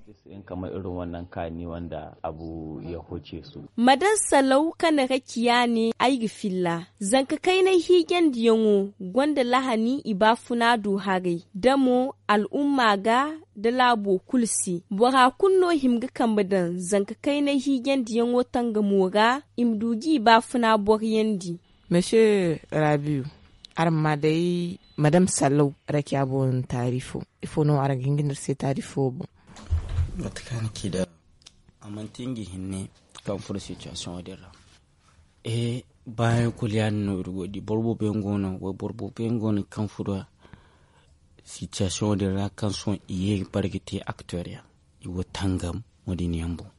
Kamar irin wannan kaani wanda abu ya huce su. Ma daŋ salaw kaŋ ra ciya ne ay ga filla zanka kaynay hiijandiyaŋo gonda lahani i baafuna du haray da mo al'umma ga da laabo kulu se bora kulu no hima ga kambe daŋ zanka kaynay hiijandiyaŋo tangamo ra i ma du ga i baafuna boriyandi. Monsieur rabiu, araŋ ma day madame sallau rakiya boŋ taarifo ifo no araŋ ga hin ga ne iri se taarifo boŋ? Mate kaŋ ni ci da a manti nga hinne kaŋ furo situation wo din ra. Baayaŋ kulu ya- din no iri go ga di boro boobo yaŋ go no wayboro boobo yaŋ go no kaŋ furo situation wo din ra kaŋ sohõ i ye ga bare ga te acteur yaŋ i go tangam wo- din yaŋ boŋ.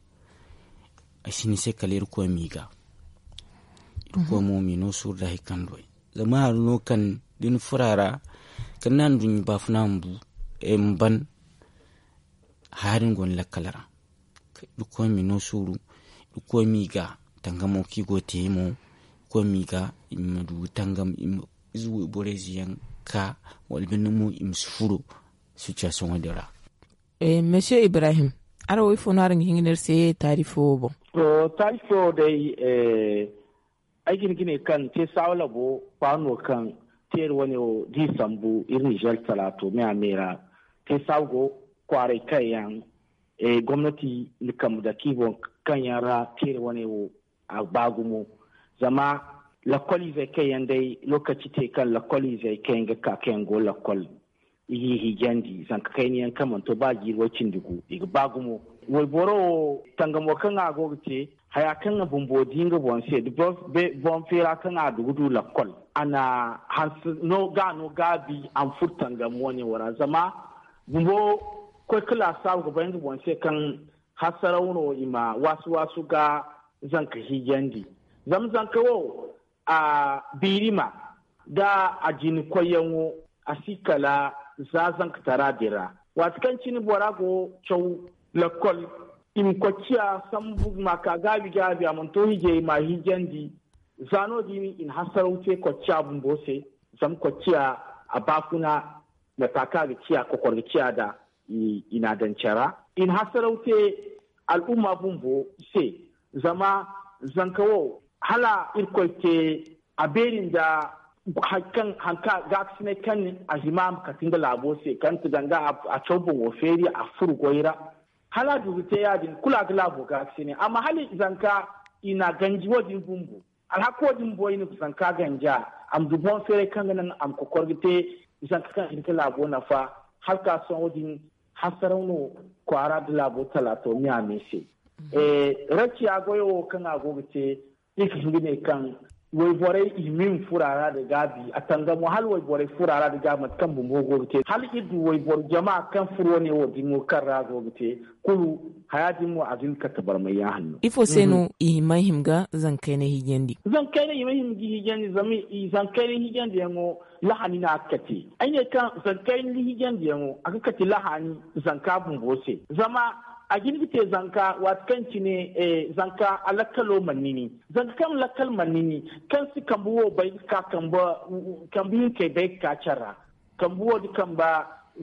Ay si ni se kala irkoy m'i ga irkoy mo m'i no suuru da hari kaŋ du ay zama hari no kaŋ da ni furo a ra Kala ni na nduɲɲa baafuna ma ban haya din go ni lakkal ra. Irkoy m'i no suuru. Irkoy m'i ga tangamo kaŋ i go ga te mo. Irkoy m'i ga i ma du ga tangam i ma ize wayborey ze yaŋ ka wala binde mo i ma si furo. Sitiyaasiyoŋo din ra. Monsieur ibrahim, araŋ wo ifo no araŋ ga hin ga ne iri se taarifo wo boŋ? To, taarifo wo day, ay ga hin ga ne kaŋ te saawa labo kwaara no kaŋ teeri wane wo da i sambu iri nizer talaato me a me ra. Te saawa go kwaaray kaŋ yaŋ gomnati na kambe dake i boŋ kaŋ yaŋ ra teeri wane wo a ba gumo. Zama lakkol izey kaŋ yaŋ day lokaci te kaŋ lakkol izey kaŋ yaŋ ga ka kaŋ yaŋ go lakkol i g'i hijandi zanka kayna yaŋ kaŋ mana to ba jiiri way cindi gu i ga ba gumo. Wayboro wo tangamo kaŋ a go ga te haya kaŋ a bumbo di nga boŋ se da boŋ feera kaŋ a du ga du lakkol a na hanse no ga no gaabi a ma furo tangam wane wo ra zama bumbo koy ka laasaabu ga bay nga boŋ se kaŋ hasaraw no i ma waasu waasu ga zanka hijandi. Zama zanka wo a biirima da a jina koyyaŋo a si kala za zankatara din ra. Waati kaŋ cine bora go caw lakkol i ma koy ciya sambu ma ka gaabi gaabi a mana to hijay ma hijandi. Za no- din i na hasaraw te koy ciya bumbo se. Zama koy ciya a baafuna mata kaŋ a ga ciya kokor ga ciya nd'a i na a daŋ care ra. I na hasaraw te al'umma bumbo se. Zama zanka wo hala irkoy te a beeri nda hari kaŋ gaakasinay kaŋ a hima a ma kate nga laabo se kaŋ ti danga a caw boŋo feeri a furo goy ra. Hala a du ga te ya- din kulu a ga laabo gaakasinay amma hala zanka i na a ganji wo- din bumbo. Alhaka wo- din bumbo i na zanka ganji a a ma du boŋ feeray kaŋ ga naŋ a ma kokor ga te. Zanka kaŋ a hin ga laabo nafa hala ka sohõ din hasaraw no kwaara nda laabo talaato me a me se. Raciya goyo wo kaŋ a go ga te i ga hin ga ne kaŋ wayborey i ma i ma furo a ra nda gaabi a tangamo hala wayborey furo a ra nda gaabi mate kaŋ bumbo go ga te hala iri du wayboro jama kaŋ furo wane wo- din wo kaŋ ra go ga te kulu haya din mo a ga hin ga kate barmay ya hanno. Ifo se no i hima hima ga zankayna hijandi? Zankayna i ma hima ga hijandi zama i zankayna hijandi yaŋo lahani no a ga kate. Ay ne kaŋ zankayna hijandi yaŋo a ga kate lahani zanka bumbo se zama a ga hin ga te zanka waati kaŋ cine zanka a lakkalo mana nini. Zanka kaŋ lakkal mana nini kaŋ si kambe wo bay ga ka kambe hinkey bay ga ka care ra. Kambe wo da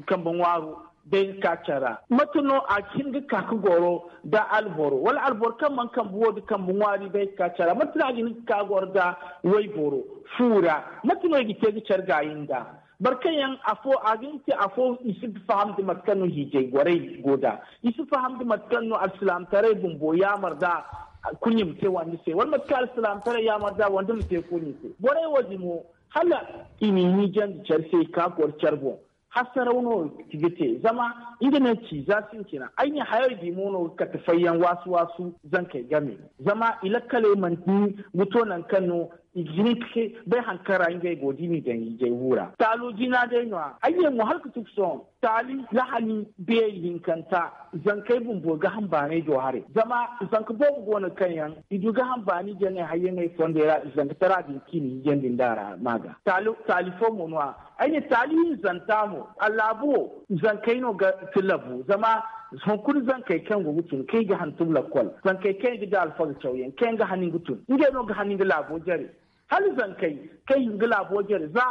kambe ŋwaaro bay ga ka care ra mate no a ga hin ga ka ga goro nda alboro wala alboro kaŋ mana kambe wo da kambe ŋwaari bay ga ka care ra mate no a ga hin ga ka ga goro nda wayboro fu ra? Mate no i ga te ga care gaayi nda boro kaŋ yaŋ afo a ga hin ga te afo i si ga faham nda mate kaŋ no hiijay gorey go nd'a. I si faham nda mate kaŋ no alsilaamataray bumbo yaamar nd'a. Kulu i ma te wande se wala mate kaŋ alsilaamataray yaamar nd'a wande ma te kulu i se borey wo- din mo hala i n'i hiijandi care se i ka goro care boŋ. Hasaraw no ga te zama nga no ci za sintina ay ne hayey di mo no ga kate fayyaŋ waasu waasu zankey game. Zama i lakkaley mana hin ga to nangu kaŋ no i ga hin ga bay hari kaŋ ra ngey go da i n'i daŋ ijay wu ra taalo jina day no- ya ay ne mo hala ga tun ga sohõ taali lahani beeri hinkanta. Zankey bumbo gaham baanay do haray zama zanka boobo go no kaŋ yaŋ i du gaham baani jaŋey hayyaŋey fondey ra i zanka tara din kaŋ i na hijandi nd'a ra ma ga taali fo mo no- ya. Ay ne taali hinzanta mo a laabu wo zankey no ga tilabu zama hunkuna zankey kaŋ go ga tun kaŋ i ga hantum lakkol zankey kaŋ i ga da alfaga cawyaŋ kaŋ yaŋ ga hani ga tun ngey no ga hani nga laabo jare. Hala zankey kaŋ i ga laabo jare za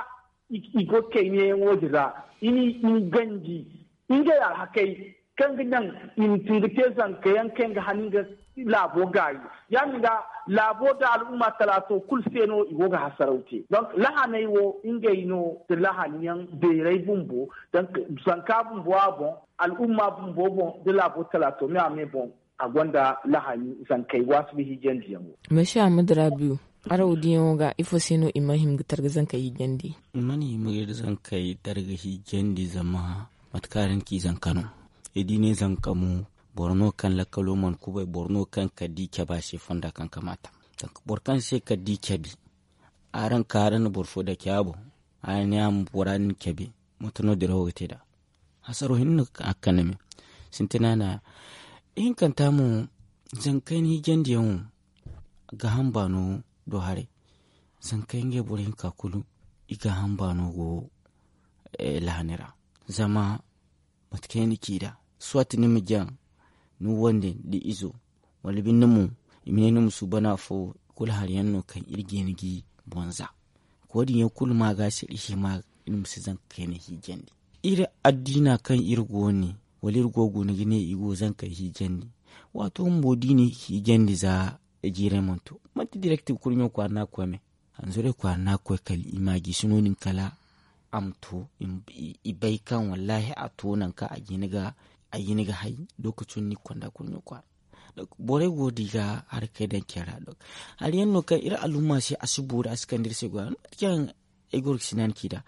i go ga kay neeyaŋo din ra i n'i ganji ngey alhakey kaŋ ga naŋ i ma tun ga te zanka yaŋ kaŋ yaŋ ga hani nga laabo gaayi. Ya- din ga laabo nda al'umma talaato kulu se no i go ga hasaraw te donk lahaney wo ngey no nda lahani yaŋ beeray bumbo zanka bumbo a boŋ al'umma bumbo boŋ nda laabo talaato me a me boŋ. A gonda lahani zankey waasu ga hiijandi yaŋo. Mesi ahmadu rabiu, araw diyaŋo ga ifo se no i mana hima ga targa zankey hiijandi? I mana hima ga iri zankey targa hiijandi zama mate kaŋ araŋ ci zanka no. Ay di ne zanka mo boro no kaŋ lakkalo mana kubay boro no kaŋ kala da i cabe a se fonda kaŋ kamaata. Boro kaŋ se kala da i cabe araŋ ka araŋ na boro fo dake a boŋ. Araŋ ne a ma bora din cabe mate no dirawo ga te nd'a? Hasaro hinne no a ga kande me sintina no- ya. Ihinkanta mo zankey ni hijandiyaŋo gaaham baano do haray. Zankey ngey boro hinka kulu i gaaham baano go lahani ra. Zama mate kaŋ yaŋ ni ci nd'a, soit ni ma jaŋ ni wande nda izo, wala binde mo i ma ne ni ma suuban afo. Kulu hari yaŋ no kaŋ iri ga hin ga i boŋ za. Wo- din yaŋ kulu ma ga se iri hima iri ma si zanka kayna hiijandi. Iri addiina kaŋ iri go ne, wala iri go ga guna ga ne i go ga zankey hiijandi. Waato bumbo da i na i hiijandi za jiiray mana to, manti direkti ga kurɲo kwaara no a ga koy me. Hanzuray kwaara no a ga koy kala i ma a gisi no- din kala a ma to. I bay kaŋ wallaahi a to nangu kaŋ a ga hin ga hay. Lookaco no ni ga konda kurɲo kwaara. Borey go da i ga harakey daŋ care ra. Hari yaŋ no kaŋ iri alumma se a si boori a si kande iri se goy a no mate kaŋ ay goro ga sinaani ci nd'a.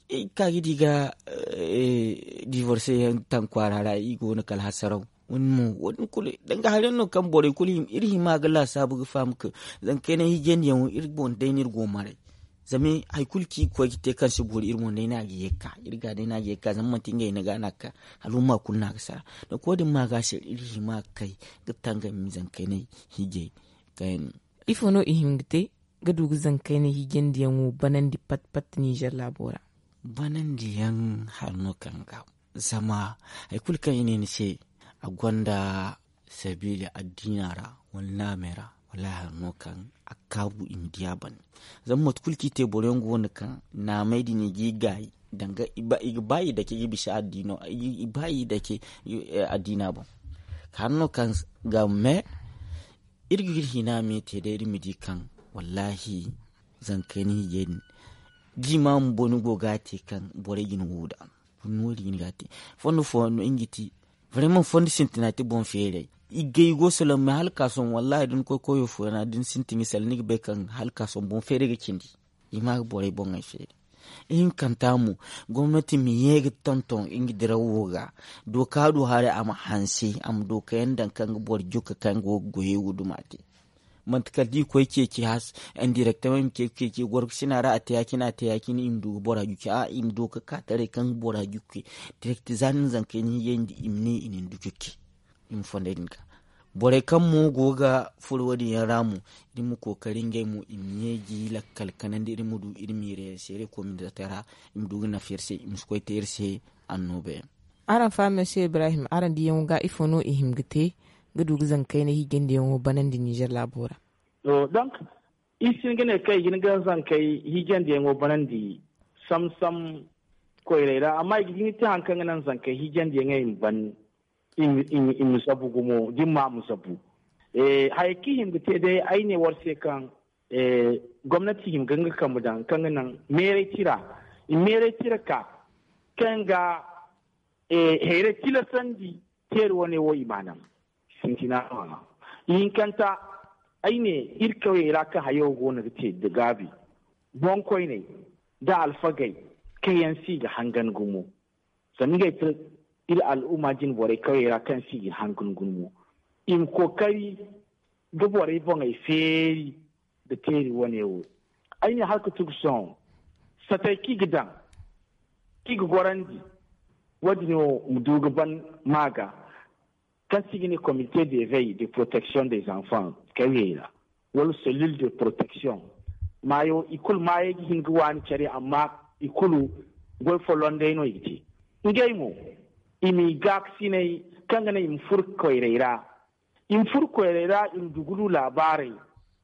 Iri ga ka ga di ga divorse yaŋ taŋ kwaara ra i go no kala hasaraw. Wo- din kulu danga hari yaŋ no kaŋ borey kulu iri hima ga laasaabu ga faham kaŋ zanka kayna hiijandi yaŋo iri boŋ day no iri go maray. Zama hari kulu kaŋ i ga koy ga te kaŋ si boori iri boŋ day no a ga ye ga ka iri ga day no a ga ye ga ka zama manti ngey no ga no a ga ka. Alumma kulu no a ga sara. Danga wo- din ma ga se iri hima ga kay ga tangami zanka kayna hiijay kaŋ yaŋ no. Ifo no i hin ga te ga du ga zanka kayna hiijandi yaŋo banandi pat pat ninzeer laabo ra? Banandi yaŋ hari no kaŋ ga zama hari kulu kaŋ i ne ni se a gonda sabiila addiina ra wala naamey ra, wallaahi hari no kaŋ a ga kaabu i ma di a banda. Zama mate kulu kaŋ i te boro yaŋ go no kaŋ naamey din i ga i gaayi danga i ga ba i dake ga bisa addiino i ba i dake addiina boŋ. Hari no kaŋ ga me iri ga iri hina me te day iri ma di kaŋ wallaahi zanka kayna hiijay din. Jiima bumbo ni go ga a te kaŋ borey ga ni wo nd'a. Fondo fooyaŋ no nga ti, vraiment fondo sintina ti boŋ feeray. I ga i go salaŋ me hala ka sohõ wallaahi da ni koy koyo fooyaŋ ra da ni sintin ga salaŋ ni ga bay kaŋ hala ka sohõ boŋ feeray ga cindi. I ma ga borey boŋey feeri. Ihinkanta mo, gomnati ma ye ga tonton nga dirawo ga. Dooka du haray a ma hanse a ma dookayaŋ daŋ kaŋ ga boro jukka kaŋ go ga goyey wo duma te. Manti kala da i koy ceeci has, indirectement i ma ceeci ceeci gorkusina ra a te ya- cine a te ya- cine i ma du ga bora jukki a i ma du ga ka taray kaŋ ga bora jukki. Direct za ni na zankey ni hiyandi i ma ne i na ni du jukki. I ma fonday din ga borey kaŋ mo go ga furo wo- din yaŋ ra mo, iri ma kookari ngey mo i ma ɲeeji lakkal kanandi iri ma du iri ma iri seere kominatey ra. I ma du ga nafa iri se i ma si koy te iri se. Annooba yaŋ. Araŋ fa monsieur ibrahim araŋ diyaŋo ga ifo no i hima ga te ga du ga zankey na hiijandiyaŋo banandi nizer laabo ra? Donc, iri si hin ga ne kaŋ i ga hin ga zankey hiijandiyaŋo banandi sam sam koyray ra amma i ga hin ga te hari kaŋ ga naŋ zankey hiijandiyaŋey ma ban i ma zabu gumo da i ma ma zabu. Hayey kaŋ i hima ga te day ay ne war se kaŋ gomnati hima ga nga kambe daŋ kaŋ ga naŋ meeray tira i ma meeray tira ka kaŋ ga hayray tilasandi. Teeri wane wo i ma a naŋ sintina no a ma. Ihinkanta ay ne iri kawyey ra kaŋ hayo go no ga te da gaabi boŋkoyney nda alfagey kaŋ yaŋ se i ga hangan gumo. Zama ngey ti iri al'umma jine borey kawyey ra kaŋ se i ga hangan gumo i ma kookari ga borey boŋey feeri. Da teeri wane wo ay ne hala ga tugu sohõ satey kaŋ i ga daŋ kaŋ i ga gorandi wo- din wo ma du ga ban ma ga kaŋ se i ga ne comité de veille de protection des enfants kawyey ra wala cellule de protection. Maayo i kulu maayey ga hin ga waani care amma i kulu goy folloŋ day no i ga te. Ngey mo i ma i gaakasiney kaŋ ga naŋ i ma furo koyray ra i ma furo koyray ra i ma dugulu laabaarey.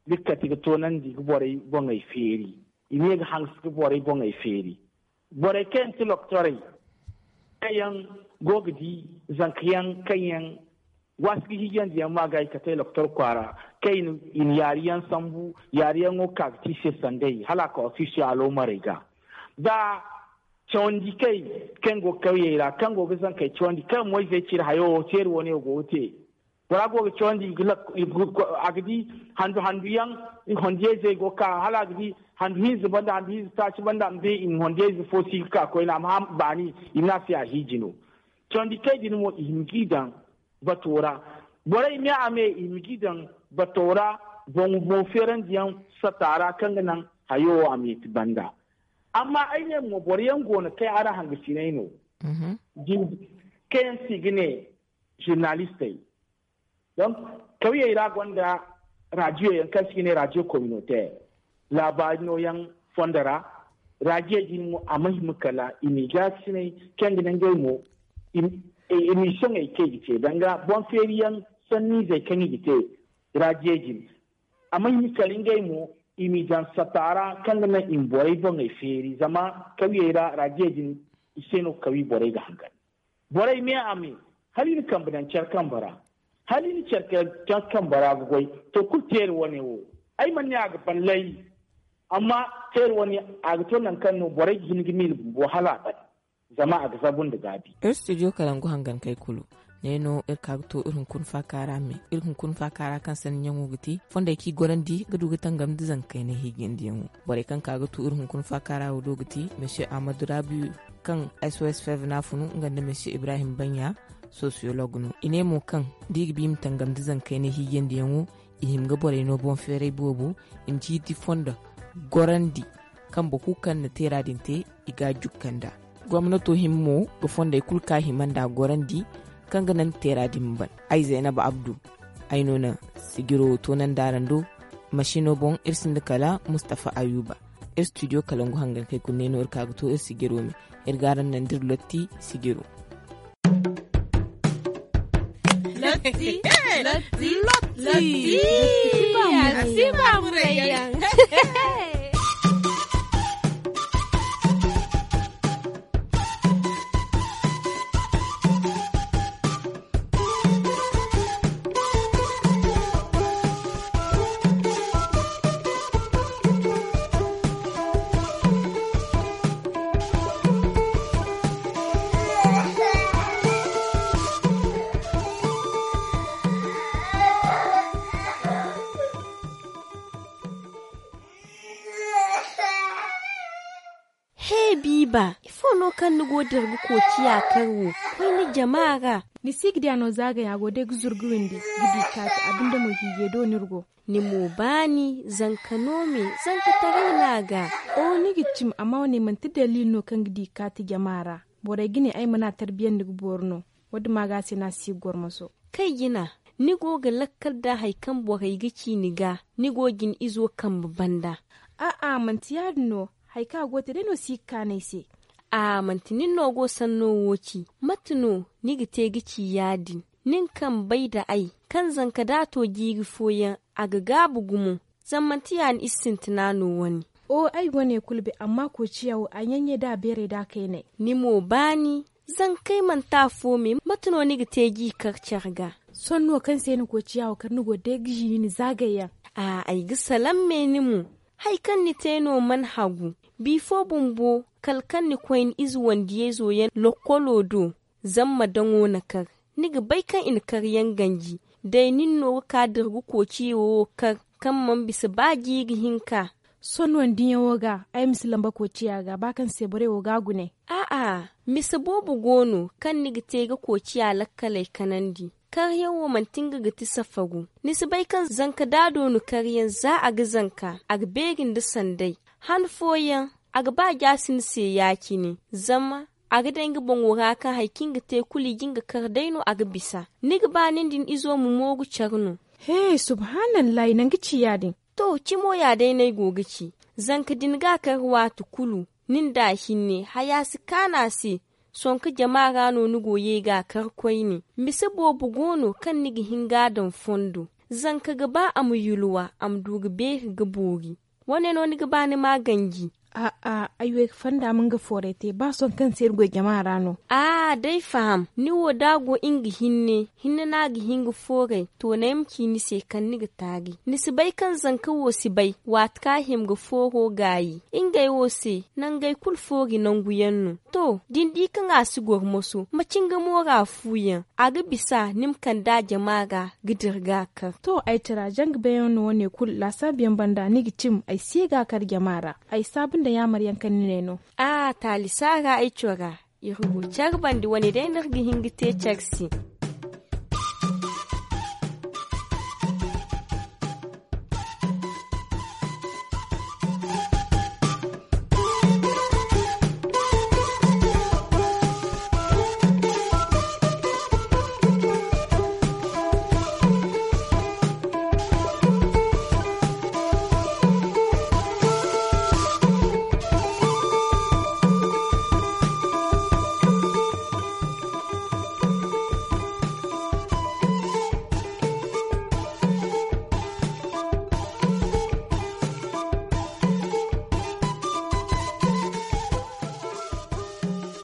Iri ga kate ga toonandi ga borey boŋey feeri i ma ye ga hanse ga borey boŋey feeri. Borey kaŋ yaŋ ti loktorey kaŋ yaŋ go ga di zanka yaŋ kaŋ yaŋ waasi ga hiijandi yaŋ ma ga i kate loktor kwaara kaŋ i na yaari yaŋ sambu yaari yaŋo ga ka ga te i se sanday hala a ka ofisiyo aloomarey ga. Da cawandi kay kaŋ go ga kawyey ra kaŋ go ga zankey cawandi kaŋ moyzey cire hayo wo teeri wane wo go ga te. Bora go ga cawandi a ga di handu handu yaŋ. Hondiyayzey go ga ka hala a ga di handu hinza banda handu hinza taaci banda a ma bay i ma hondiyayze fo si ga ka koyne a ma hã baani i ma ne a se a hiiji no. Cawandi kay din mo i hima g'i daŋ bato ra. Borey me a me i hima g'i daŋ bato ra boŋ boŋ feerandiyaŋ sata ra kaŋ ga naŋ hayo wo a ma ye ti banda. Amma ay ne mo boro yaŋ go no kaŋ yaŋ araŋ hangasiney no kaŋ yaŋ se i ga ne zurnalistey. Donc kawyey ra gonda raadiyo yaŋ kaŋ se i ga ne raadiyo communautaire laabaari no yaŋ fondo ra. Raadiyo din mo a ma hima kala i m'i gaakasinay kaŋ ga naŋ ngey mo i m'i soŋey kaŋ i ga te danga boŋ feeriyaŋ sanniizey kaŋ i ga te. Raadiyo din a ma hima kala ngey mo i m'i daŋ satta ra kaŋ ga naŋ i ma borey boŋey feeri zama kawyey ra raadiyo din i se no kawi borey ga hangan. Borey me a me hala i na kambe daŋ care kambe ra hala i na care care kambe ra ga goy. To kulu teeri wane wo ay mana ne a ga ban lay. Amma teeri wane a ga to nangu kaŋ no borey ga hin ga miila bumbo hala a ban zama a ga zabu nda gaabi. Iri studio kalangu hangankey kulu ne no iri ka ga to iri hunkuna faaka ra me iri hunkuna faaka ra kaŋ sanni ɲaŋo ga ti fondey kaŋ i gorandi ga du ga tangam nda zanka kaynay hiijandiyaŋo. Borey kaŋ ka ga tu iri hunkuna faaka ra wo do ga ti monsieur ahmadu rabiyu kaŋ s o s fevna funu nga nda monsieur ibrahim banya sosiyolog no i ne mo kaŋ da i ga ba i ma tangam nda zanka kaynay hiijandiyaŋo i hima ga borey no boŋ feeray boobo i ma ciiti fondo gorandi. Kambe kulu kaŋ na teera din te i ga a jukka nd'a. Gomnato hima mo ga fondey kulu kaŋ a hima nd'a gorandi kaŋ ga naŋ teera din ma ban. Ay zaynab abdu ay no na sijiro toonandi araŋ do. Masino boŋ iri sinda kala mustafa ayuba. Iri studio kalangu hangankey kulu ne no iri ka ga to iri sijiro me iri ga araŋ naŋ da iri lotti sijiro. Lotti. Lotti. Lotti. Lotti. Lotti. Lotti. Lotti. Lotti. Lotti. Lotti. He biiba ifo no kaŋ ni go ga dira ga koociya kar wo? Koyne jama ra. Ni si ga di a no zaagay a go day ga zuru ga windi ga di kaati a binde mo hiijey do no iri go. Ni mo baani zanka no me? Zankataray no a ga. Oho ni ga cim amma wane manti daliili no kaŋ ga di kaati jama ra. Borey ga ne ay mana tarbiyandi ga boori no. Wo- din ma ga a se no a si ga gormoso. Kay jina, ni go ga lakkal nda hari kaŋ borey ga ci ni ga ni go ga ni izo kambe banda. A'a manti ya- din no. Hari kaŋ a go ga te day no si ga kaanu ay se. A manti nin no go sanno wo ci? Mate no ni ga te ga ci ya- din? Nin kaŋ bay nda ay kaŋ zanka da a to jiiri fooyaŋ a ga gaabu gumo. Zama manti ya- din iri sintina no wane. Oho ay go ne kulu bay amma koociya wo a ɲaɲey nda a beerey nda a kayney. Ni mo baani. Zankey manti afo me mate no ni ga te ga i kar care ga? Sohõ no kaŋ se ni koociya wo kar ni go ga day ga ziini ni zaagayyaŋ. A ay ga salaŋ me ni mo. Hari kaŋ ni te no mana hagu. Bifo bumbo kala kaŋ ni koy ni ize wandiyayzo yaŋ lokkolo do. Zama ma daŋo na kar. Ni ga bay kaŋ i na karyaŋ ganji. Day nin no ga ka dira ga koociya wo kar kaŋ mana bisa ba jiiri hinka. Sohõ no ni diyaŋo ga ay ma si lamba koociya ga ba kaŋ se borey wo ga a gune. A'a, mise boobo go no kaŋ ni ga te ga koociya lakkaley kanandi. Karyaŋ wo manti nga ga ti safagu. Ni si bay kaŋ zanka da a doonu karyaŋ za a ga zanka a ga beeri nda sanday. Han fooyaŋ a ga ba jaasi ni se ya- cine. Zama a ga day nga boŋo ra kaŋ hari kaŋ i ga te kulu i ga nga kar day no a ga bisa. Ni ga ba nin da ni izo ma mooru care no? He subhaanallahi nangu ci ya- din. To cimo ya day no ay go ga ci. Zanka din ga a kar waati kulu. Nin da a hinne haya si kaanu a se. Sonka jama ra no ni go ye ga a kar koyne. Mise boobo go no kaŋ ni ga hin ga a daŋ fondo. Zanka ga ba a ma yulwa a ma du ga beeri ga boori. Wane no ni ga ba ni ma ganji? A'a ay wo ay ga fanda ma nga fooray te ba sohõ kaŋ se iri goy jama ra no. A'a day faham ni wo da a go nga hinne hinne no a ga hin ga fooray. To naŋ ay ma ci ni se kaŋ ni ga taari ni si bay kaŋ zanka wo si bay waati kaŋ a hima ga fooro gaayi. Ngey wo se nangey kulu foori nangu yaŋ no. To da ni di kaŋ a si goro moso ma ci nga moora fu yaŋ. A ga bisa ni ma kande a jama ra ga dira ga a kar. To ay tira zanga bayyaŋ no wane kulu laasaabu yaŋ banda ni ga cim ay si ye ga a kar jama ra. Ay saabu nda yaamar yaŋ kaŋ ni ne no. A taali saara ay cora iri go care bande wane day no iri ga hin ga te care se.